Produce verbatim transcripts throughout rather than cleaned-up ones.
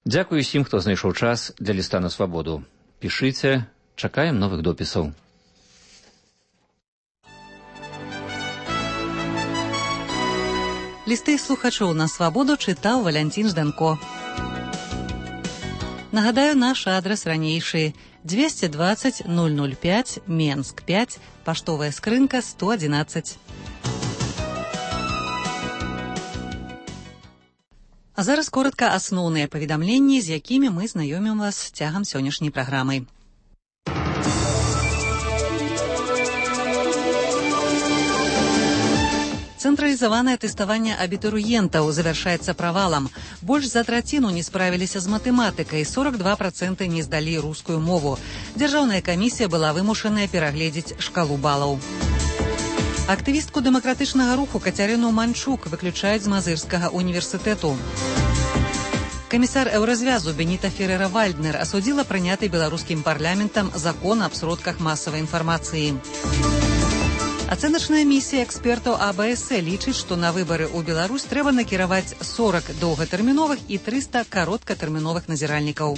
Дзякуй усім, хто знайшоў час для ліста на свабоду. Пішыце, чакаем новых допісаў. Лісты слухачоў на свабоду чытаў Валянцін Жданко. Нагадаю, наш адрас ранейшы двести двадцать ноль ноль пять, Менск пять, паштовая скрынка сто одиннадцать. А зараз коротка асноўныя паведамленні, з якімі мы знаёмім вас цягам сённяшняй праграмы. Цэнтралізаванае тэставанне абітурыентаў завяршаецца правалам. Больш за траціну не справіліся з матэматыкай, сорок два працэнты не здалі рускую мову. Дзяржаўная камісія была вымушаная перагледзець шкалу балаў. Актывістку дэмакратычнага руху Кацярыну Манчук выключаюць з Мазырскага універсітэту. Камісар еўразвязу Беніта Ферера-Вальднер асудзіла прыняты беларускім парламентам закон аб сродках масавай інфармацыі. Ацэначная місія экспертаў А Б С лічыць, што на выбары ў Беларусь трэба накіраваць сорок доўгатэрміновых і трыста кароткатэрміновых назіральнікаў.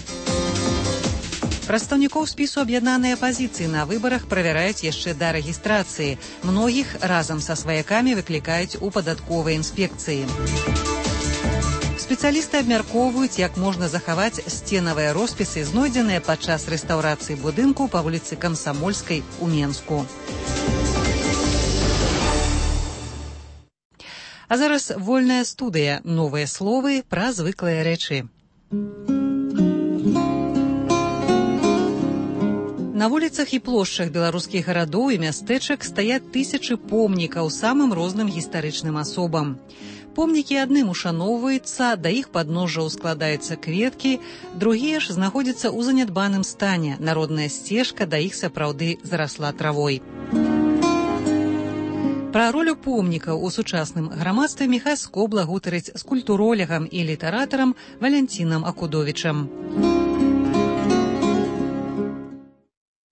Прадстаўнікоў спісу аб'яднанай апазіцыі на выбарах правяраюць яшчэ да рэгістрацыі. Многіх разам са сваякамі выклікаюць у падатковай інспекцыі. Спецыялісты абмяркоўваюць, як можна захаваць сценавыя роспісы, знойдзеныя падчас рэстаўрацыі будынку па вуліцы Камсамольскай у Менску. А зараз вольная студыя. Новыя словы пра звыклыя рэчы. На вуліцах і плошчах беларускіх гарадоў і мястэчак стаяць тысячы помнікаў самым розным гістарычным асобам. Помнікі адным ушаноўваюцца, да іх падножжаў складаюцца кветкі, другія ж знаходзяцца ў занядбаным стане. Народная сцежка да іх сапраўды зарасла травой. Пра ролю помнікаў у сучасным грамадстве Міхась Скобла гутарыць з культуролегам і літаратарам Валянцінам Акудовічам.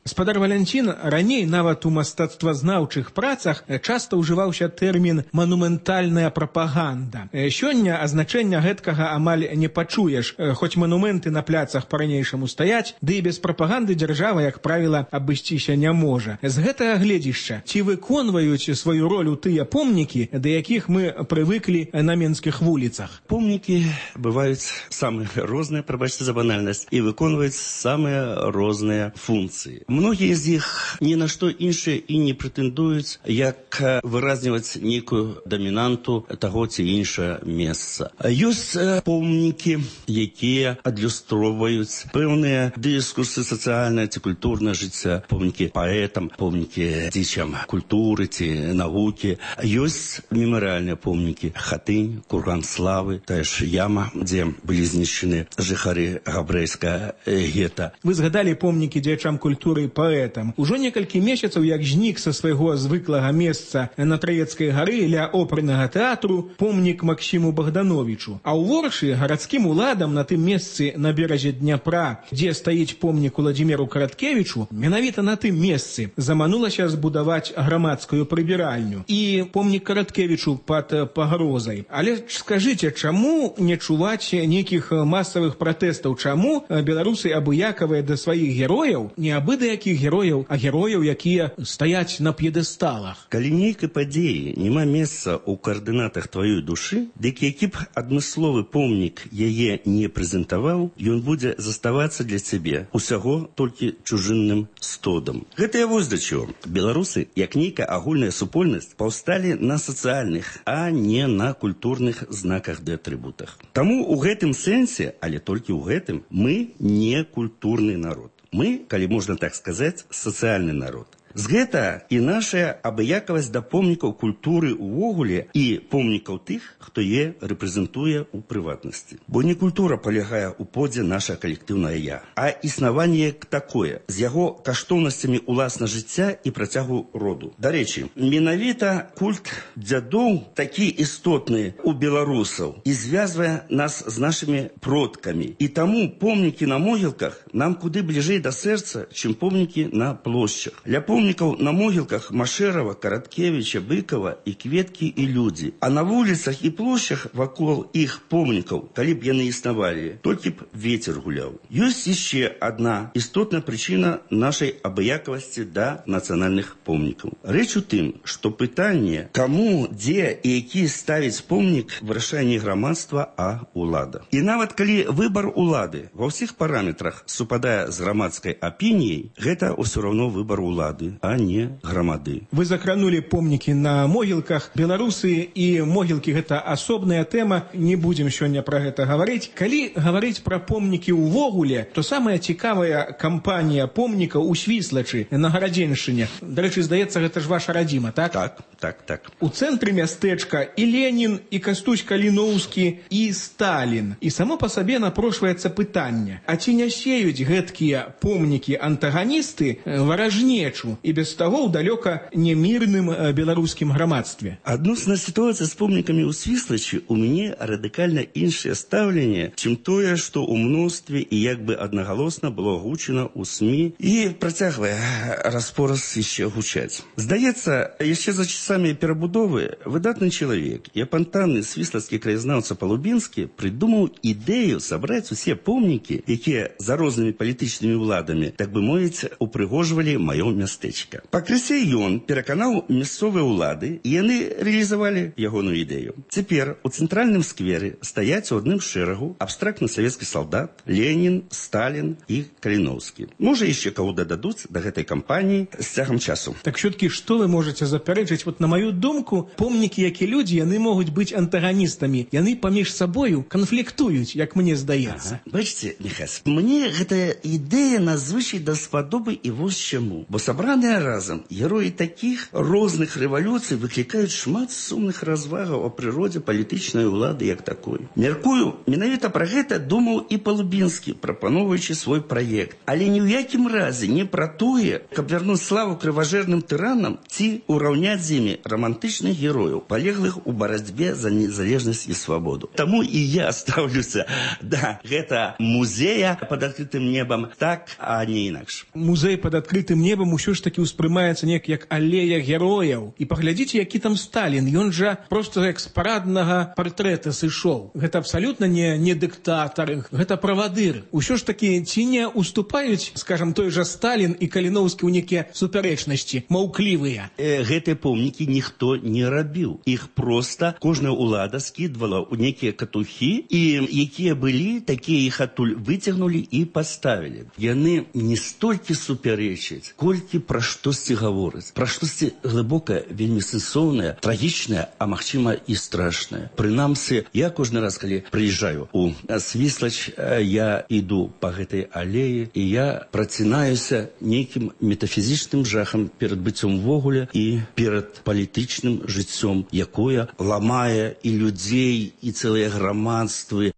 Спадар Валянцін, раней нават у мастацтвазнаўчых працах часта ўжываўся тэрмін «манументальная прапаганда». Сёння азначэння гэткага амаль не пачуеш, хоць манументы на пляцах па-ранейшаму стаяць, ды і без прапаганды дзяржава, як правіла, абысціся не можа. З гэтага гледзішча, ці выконваюць сваю ролю тыя помнікі, да якіх мы прывыклі на менскіх вуліцах? Помнікі бываюць самыя розныя, прабачце за банальнасць, і выконваюць самыя розныя функцыі. Многія з іх ні на што іншае і не прэтэндуюць, як выразніваць нейкую дамінанту таго ці іншае месца. Ёсць помнікі, якія адлюстроўваюць пэўныя дыскурсы сацыяльнае ці культурнае жыцця, помнікі паэтам, помнікі дзецям культуры ці навукі. Ёсць мемарыяльныя помнікі Хатынь, Курган славы, тая ж яма, дзе былі знішчаны жыхары габрэйскага гета. Вы згадалі помнікі дзеячам культуры паэтам. Ужо некалькі месяцаў, як знік са свайго звыклага месца на Траецкай гары ля опернага тэатру помнік Максіму Богдановичу. А ў Воршы гарадскім уладам на тым месцы на беразе Дняпра, дзе стаіць помнік Уладзіміру Караткевічу, менавіта на тым месцы заманулася збудаваць грамадскую прыбіральню і помнік Караткевічу пад пагрозай. Але скажыце, чаму не чуваць нейкіх масавых пратэстаў? Чаму беларусы абыякавыя да сваіх герояў, не абы да якіх герояў, а герояў, якія стаяць на п'едэсталах? Калі нейкай падзеі няма месца ў каардынатах тваёй душы, дык які б адмысловы помнік яе не прэзентаваў, ён будзе заставацца для цябе усяго толькі чужынным стодам. Гэта я вось да чаго. Беларусы, як нейкая агульная супольнасць, паўсталі на сацыяльных, а не на культурных знаках ды атрыбутах. Таму ў гэтым сэнсе, але толькі ў гэтым, мы не культурны народ. Мы, калі можна так сказаць, сацыяльны народ. З гэта і наша абыякавасць да помнікаў культуры ўвогуле і помнікаў тых, хто е рэпрэзентуе ў прыватнасці. Бо не культура палягае ў подзе наша калектыўнае я, а існаванне як такое, з яго каштоўнасцямі ўласна жыцця і працягу роду. Дарэчы, менавіта культ дзядоў такі істотны ў беларусаў і звязвае нас з нашымі продкамі. І таму помнікі на могілках нам куды бліжэй да сэрца, чым помнікі на плошчах. Ля помнікаў помнікаў на могілках Машэрава, Караткевіча, Быкова і кветкі і людзі. А на вуліцах і плошчах вакол іх помнікаў, калі б яны існавалі, толькі б вецер гуляў. Ёсць яшчэ адна істотная прычына нашай абыякавасці да нацыянальных помнікаў. Рэч у тым, што пытанне, каму, дзе і які ставіць помнік, вырашае не грамадства, а ўлада. І нават калі выбар улады ва ўсіх параметрах супадае з грамадскай апініяй, гэта ўсё роўно выбар улады, а не грамады. Вы закранули помнікі на могілках. Беларусы і могілкі – гэта асобная тэма. Не будзем сёння пра гэта гаварыць. Калі гаварыць пра помнікі ўвогуле, то самая цікавая кампанія помнікаў у Свіслачы на Гарадзеншчыне. Дарэчы, здаецца, гэта ж ваша радзіма, так? Так, так, так. У цэнтры мястэчка і Ленін, і Кастусь Каліноўскі, і Сталін. І само па сабе напрошваецца пытанне, а ці не сеюць гэткія помнікі-антаганісты варажнечу і без таго ў далёка немірным беларускім грамадстве? Адносна сітуацыі з помнікамі ў Свіслачы у мяне радыкальна іншае стаўленне, чым тое, што ў мностве і як бы аднагалосна было гучана ў СМІ і працягвае распораз яшчэ гучаць. Здаецца, яшчэ за часамі перабудовы выдатны чалавек і апантанны свіслацкі краязнаўца Палубінскі прыдумаў ідэю сабраць усе помнікі, якія за рознымі палітычнымі ўладамі, так бы мовіць, упрыгожвалі маё мястэчка. Пакрысе ён пераканаў мясцовыя ўлады, і яны рэалізавалі ягоную ідэю. Цяпер у цэнтральным скверы стаяць у адным шэрагу абстрактны савецкі салдат, Ленін, Сталін і Каліноўскі. Можа, яшчэ каго дададуць да гэтай кампаніі з цягам часу. Так все-таки, што вы можаце запярэчыць? Вот на маю думку, помнікі, як і людзі, яны могуць быць антаганістамі. Яны паміж сабою канфліктуюць, як мне здаецца. Ага. Бачыце, Міхась, мне гэтая ідэя надзвычай даспадобы і вось чаму. Бо сабраныя разам героі такіх розных рэвалюцый выклікаюць шмат сумных развагаў о прыродзе палітычнай улады як такой. Мяркую, менавіта пра гэта думаў і Палубінскі, прапановуючы свой праект. Але ні ў якім разе не пра тое, каб вярнуць славу крыважэрным тыранам ці ўраўняць з імі романтычных герояў, палеглых у барацьбе за незалежнасць і свабоду. Таму і я стаўлюся да гэта музея пад адкрытым небам так, а не інакш. Музей пад адкрытым небам усё ж таки ўспрымаецца неяк як алея герояў. І паглядзіце, які там Сталін. Ён жа проста як з параднага партрэта сышоў. Гэта абсалютна не, не дыктатар, гэта правадыр. Усё ж таки ці не уступаюць, скажам, той жа Сталін і Каліноўскі ў некія супярэчнасці, маўклівыя? Э, гэтыя помнікі ніхто не рабіў. Іх проста кожная ўлада скідвала ў некія катухі, і якія былі, такія іх адтуль выцягнулі і паставілі. Яны не столькі супярэчаць, колькі пра штосьці гавораць. Пра штосьці глыбокае, вельмі сэнсоўнае, трагічнае, а магчыма і страшнае. Прынамсі, я кожны раз, калі прыязджаю у Свіслач, я іду па гэтай алеі, і я працінаюся нейкім метафізічным жахам перад быццём ввогуле і перад палітычным жыццём, якое ламае і людзей, і цэлыя грамадствы.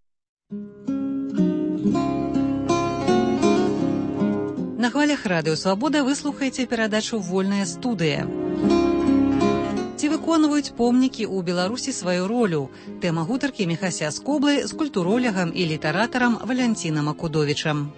На хвалях радыё «Свабода» вы слухаеце перадачу «Вольная студыя». Ці выконваюць помнікі ў Беларусі сваю ролю? Тэма гутаркі Міхася Скоблы з культуролягам і літаратарам Валянцінам Акудовічам.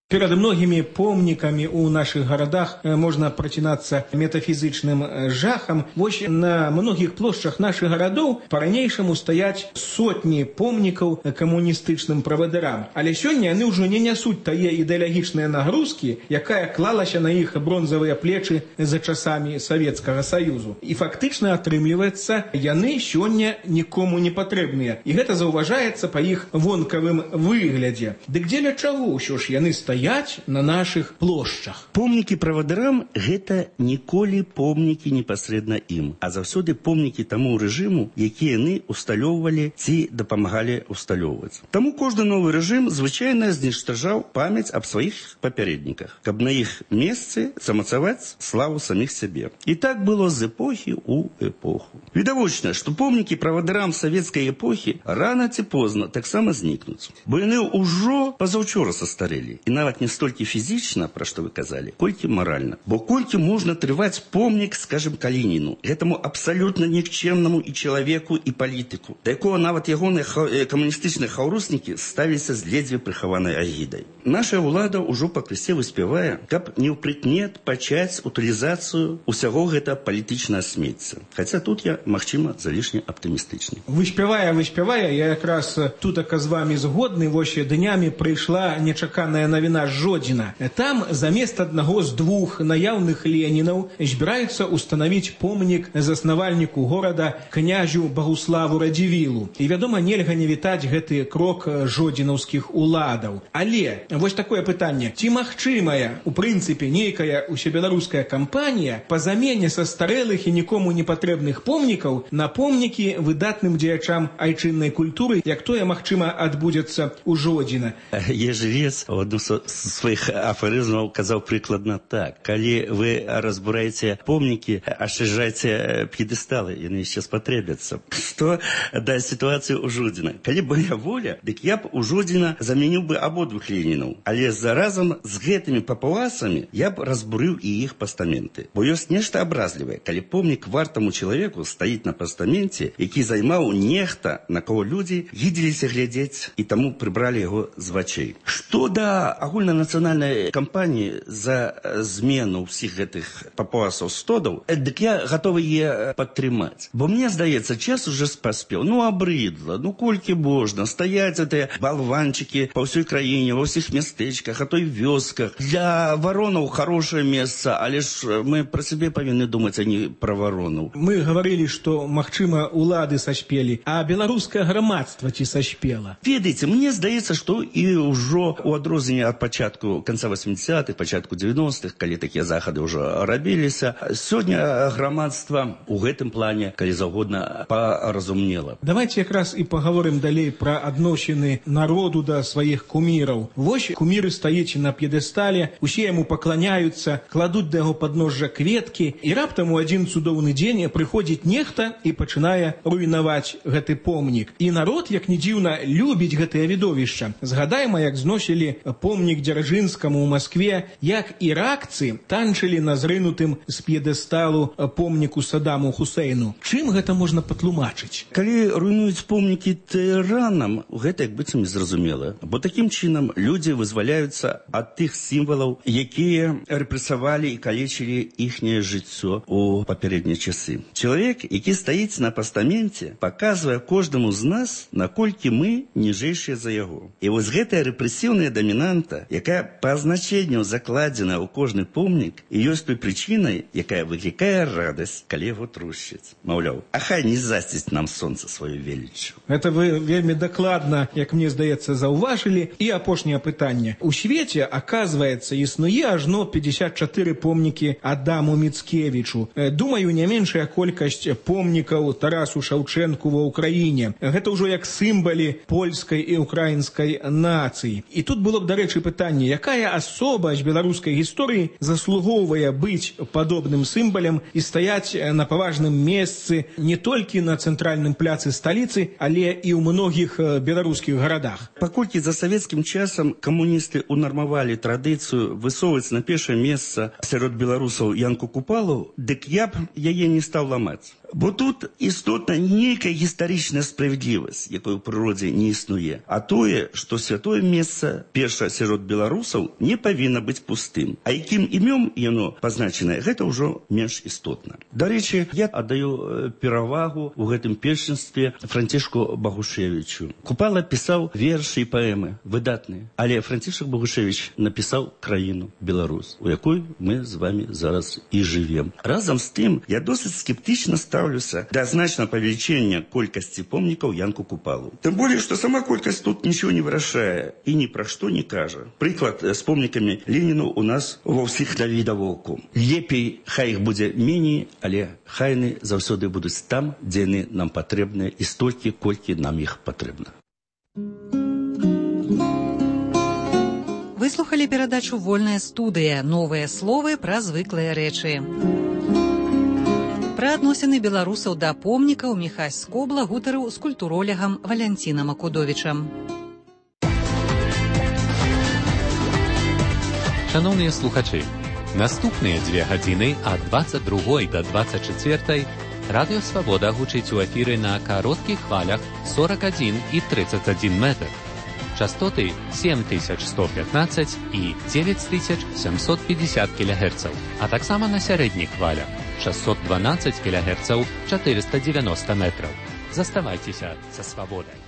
Перед многими помниками у наших городах можно прочинаться метафизичным жахом. Вось на многих площадях наших городов по-ранейшаму стоять сотни помников коммунистичным правадырам. Але сёння они уже не несут тае идеологичные нагрузки, якая клалася на их бронзовые плечи за часами Советского Союзу. И фактично атрымліваецца, яны сёння никому не потребныя. И это зауважается по их вонкавым выглядзе. Дык дзеля чаго ўсё ж яны стаяць на наших плошчах? Помнікі правадырам – гэта ніколі помнікі непасрэдна ім, а заўсёды помнікі таму рэжыму, які яны усталёўвалі ці дапамагалі усталёўваць. Таму кожны новы рэжым звычайна зніштажаў памяць аб сваіх папярэдніках, каб на іх месцы замацаваць славу саміх сябе. І так было з эпохі ў эпоху. Відавочна, што помнікі правадырам савецкай эпохі рана ці позна таксама знікнуць, бо яны ўжо пазаўчора састарэлі, і нават нават не столькі фізічна, пра што вы казалі, колькі маральна. Бо колькі можна трываць помнік, скажем, Калініну, гэтаму абсалютна нікчэмнаму і чалавеку, і палітыку, да якога нават ягоныя камуністычныя хаўруснікі ставіліся з ледзьве прыхаванай агідай. Наша ўлада ўжо пакрысе выспявае, каб не ўпрыкмет пачаць утылізацыю ўсяго гэта палітычнае смецця. Хаця тут я, магчыма, залішне аптымістычны. Выспявае, выспявае, я якраз тутака з вамі згодны, вось днямі прыйшла нечаканая навіна з Жодзіна. Там замест аднаго з двух наяўных Ленінаў збіраюцца ўстанавіць помнік заснавальніку горада князю Багуславу Радзівілу. І, вядома, нельга не вітаць гэты крок жодзінаўскіх уладаў. Але вось такое пытанне. Ці магчымая, у прынцыпе, нейкая усебеларуская кампанія па замене са старэлых і нікому не патрэбных помнікаў на помнікі выдатным дзеячам айчыннай культуры, як тое, магчыма, адбудзецца ў Жодзіна? Ежелец у адным з сваіх афарызмаў казаў прыкладна так. Калі вы разбураеце помнікі, ашчаджайце п'едэсталы, яны яшчэ спатрэбяцца. Што да сітуацыі ў Жодзіна? Калі б моя воля, дык я б у Жодзіна замяніў бы абодвух Ленінаў. Але заразам з гэтымі папуасамі я б разбурыў і іх пастаменты. Бо ёсць нешта абразлівае, калі помнік вартаму чалавеку стаіць на пастаменце, які займаў нехта, на кого людзі гідзіліся глядзець і таму прыбралі яго з вачэй. Што да агульнанацыянальнай кампаніі за змену ўсіх гэтых папуасаў стодаў, дык я гатовы е падтрымаць. Бо мне здаецца, час уже паспеў. Ну, абрыдла, ну колькі можна стаяць гэтыя балванчыкі па ўсёй краіне, ва ўсіх мястэчках, а то і вёсках. Для варонаў хорошае месца, але ж мы пра сябе павінны думаць, а не пра варонаў. Мы гаварылі, што, магчыма, улады саспелі, а беларускае грамадства ці саспела? Ведаеце, мне здаецца, што і ўжо у адрозненне ад пачатку канца восьмідзесятых, пачатку дзевяностых, калі такія захады ўжо рабіліся, сёння грамадства у гэтым плане, калі заўгодна, паразумнела. Давайте якраз і паговорым далей пра адносіны народу да сваіх куміраў. Вось куміры стаіць на п'едэстале, усе яму пакланяюцца, кладуць да яго падножжа кветкі, і раптам у адзін цудоўны дзень прыходзіць нехта і пачынае руйнаваць гэты помнік. І народ, як ні дзіўна, любіць гэтае відовішча. Згадайма, як зносілі помнік Дзяржынскаму ў Маскве, як іракцы танчылі на зрынутым з п'едэсталу помніку Садаму Хусейну. Чым гэта можна патлумачыць? Калі руйнуюць помнікі тыранам, гэта як быццам незразумела. Бо такім чынам людзі вызваляюцца ад тых сімвалаў, якія рэпрэсавалі і калечылі іхняе жыццё у папярэднія часы. Чалавек, які стаіць на пастаменце, паказвае кожнаму з нас, наколькі мы ніжэйшыя за яго. І вось гэтая рэпрэсіўная дамінанта, якая па значэнню закладзена ў кожны помнік, і ёсць той прычынай, якая выклікае радасць, калі яго трушчаць. Маўляў, а хай не засціць нам сонца сваю веліччу. Гэта вы вельмі дакладна, як мне здаецца, заўважылі. І апошняе пытанне. У свеце, аказваецца, існуе ажно пятьдесят чатыры помнікі Адаму Міцкевічу. Думаю, не меншая колькасць помнікаў Тарасу Шаўчэнку ва ўкраіне. Гэта ўжо як сімвалы польскай і украінскай нацыі. І тут было б, дарэчы, пытанне, якая асоба з беларускай гісторыі заслугоўвае быць падобным сімвалем і стаяць на паважным месцы не толькі на цэнтральным пляцы сталіцы, але і ў многіх беларускіх гарадах. Паколькі за савецкім часам камуністы унармавалі традыцыю высоўваць на першае месца сярод беларусаў Янку Купалу, дык я б яе не стаў ламаць. Бо тут істотна нейкая гістарычная справядлівасць, якой у прыродзе не існуе. А тое, што святое месца, перша сярод беларусаў, не павінна быць пустым. А якім імём яно пазначанае, гэта ўжо менш істотна. Дарэчы, я аддаю перавагу у гэтым першынстве Францішку Багушевічу. Купала пісаў вершы і паэмы, выдатныя. Але Францішак Багушевіч напісаў краіну Беларусь, у якой мы з вами зараз і жывем. Разам з тым, я досыць скептычна ставлюся да значного павелічэння колькасці помнікаў Янку Купалу. Тым болей, што сама колькасць тут нічого не вырашае і ні пра што не кажа. Прыклад з помнікамі Леніну у нас ва ўсіх навідавоку. Лепей хай іх будзе меней, але хай яны заўсёды будуць там, дзе яны нам патрэбныя і столькі, колькі нам іх патрэбна. Выслухалі перадачу «Вольная студыя». Новыя словы пра звыклыя рэчы. Пра адносіны беларусаў да помнікаў Міхась Скобла гутарыў з культуролегам Валянцінам Акудовічам. Шановныя слухачы, наступныя дзве гадзіны ад дваццаць другой да дваццаць чацвёртай Радыё Свабода гучыць у эфіры на кароткіх хвалях сорок один і тридцать один метр. Частоты сем тысяч сто пятнадцать і девять тысяч семьсот пятьдесят кілогерцаў, а таксама на сярэдніх хвалях шестьсот двенадцать кілогерцаў, четыреста девяносто метров. Заставайцеся са свабодай.